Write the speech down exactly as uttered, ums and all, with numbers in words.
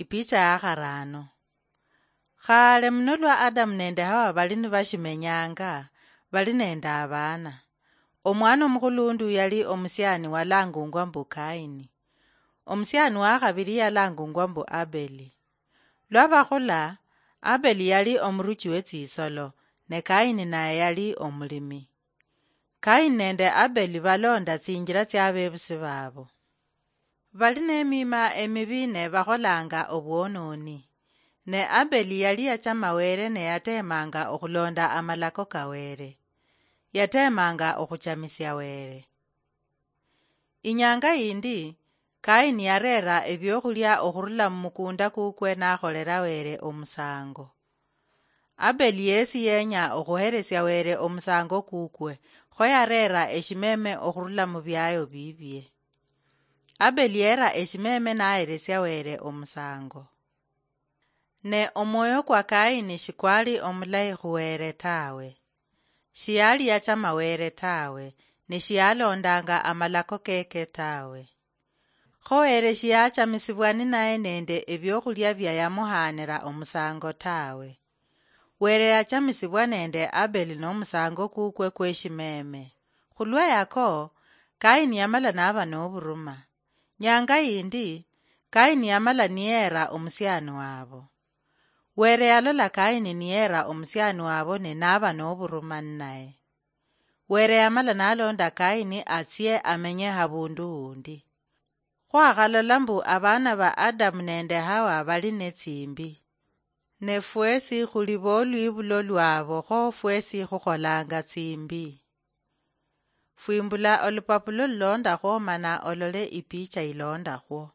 Ipicha ya kharano. Khale muno lwa Adamu nende Hawa bali nibashimenyanga, bali nende abana. Omwana omukhulundu yali omusiani walangungwa mbu Kaini. Omusiani wa khabili yalangungwa mbu Abeli. Lwa bakhula, Abeli yali omuruchi we tsisolo, ne Kaini naye yali omulimi. Kaini nende Abeli balonda tsinjila tsia bebusi babo. Bali nemima emibi ne bakholanga obwononi. Ne Abeli yali yachama Wele ne yatemanga okhulonda amalako ka Wele. Yatemanga okhuchamisia Wele. Inyanga yindi, Kaini yarera ebiokhulia okhurula mumukunda kukwe nakholela Wele omusango. Abeli yesi yenya okhuhelesia Wele omusango kukwe, kho yarera eshimeme okhurula mubiayo bibie. Abeli yera eshimeme nahelesia Wele omusango. Ne omwoyo kwa Kaini shikwali omulayi khu Wele tawe. Shiyali yachama Wele tawe, ne shiyalondanga amalako keke tawe. Kho Wele shiyachamisibwa ninaye nende ebiokhulia bia yamuhanira omusango tawe. Wele yachamisibwa nende Abeli nomusango kukwe kweshimeme. Khulwa yako, Kaini yamala naba noburuma. Nyanga yindi, Kaini yamala niyera omusiani wabo. Wele yalola Kaini niyera omusiani wabo ne naba noburuma ninaye. Wele yamala nalonda Kaini atsie amenye habundu hundi. Khwakhalola mbu abana ba Adamu nende Hawa bali netsimbi. Ne fwesi khuli bolwibulo lwabo, kho fwesi khukholanga tsimbi. Fwimbula olupapulo lulondakhwo mana olole ipicha ilondakhwo.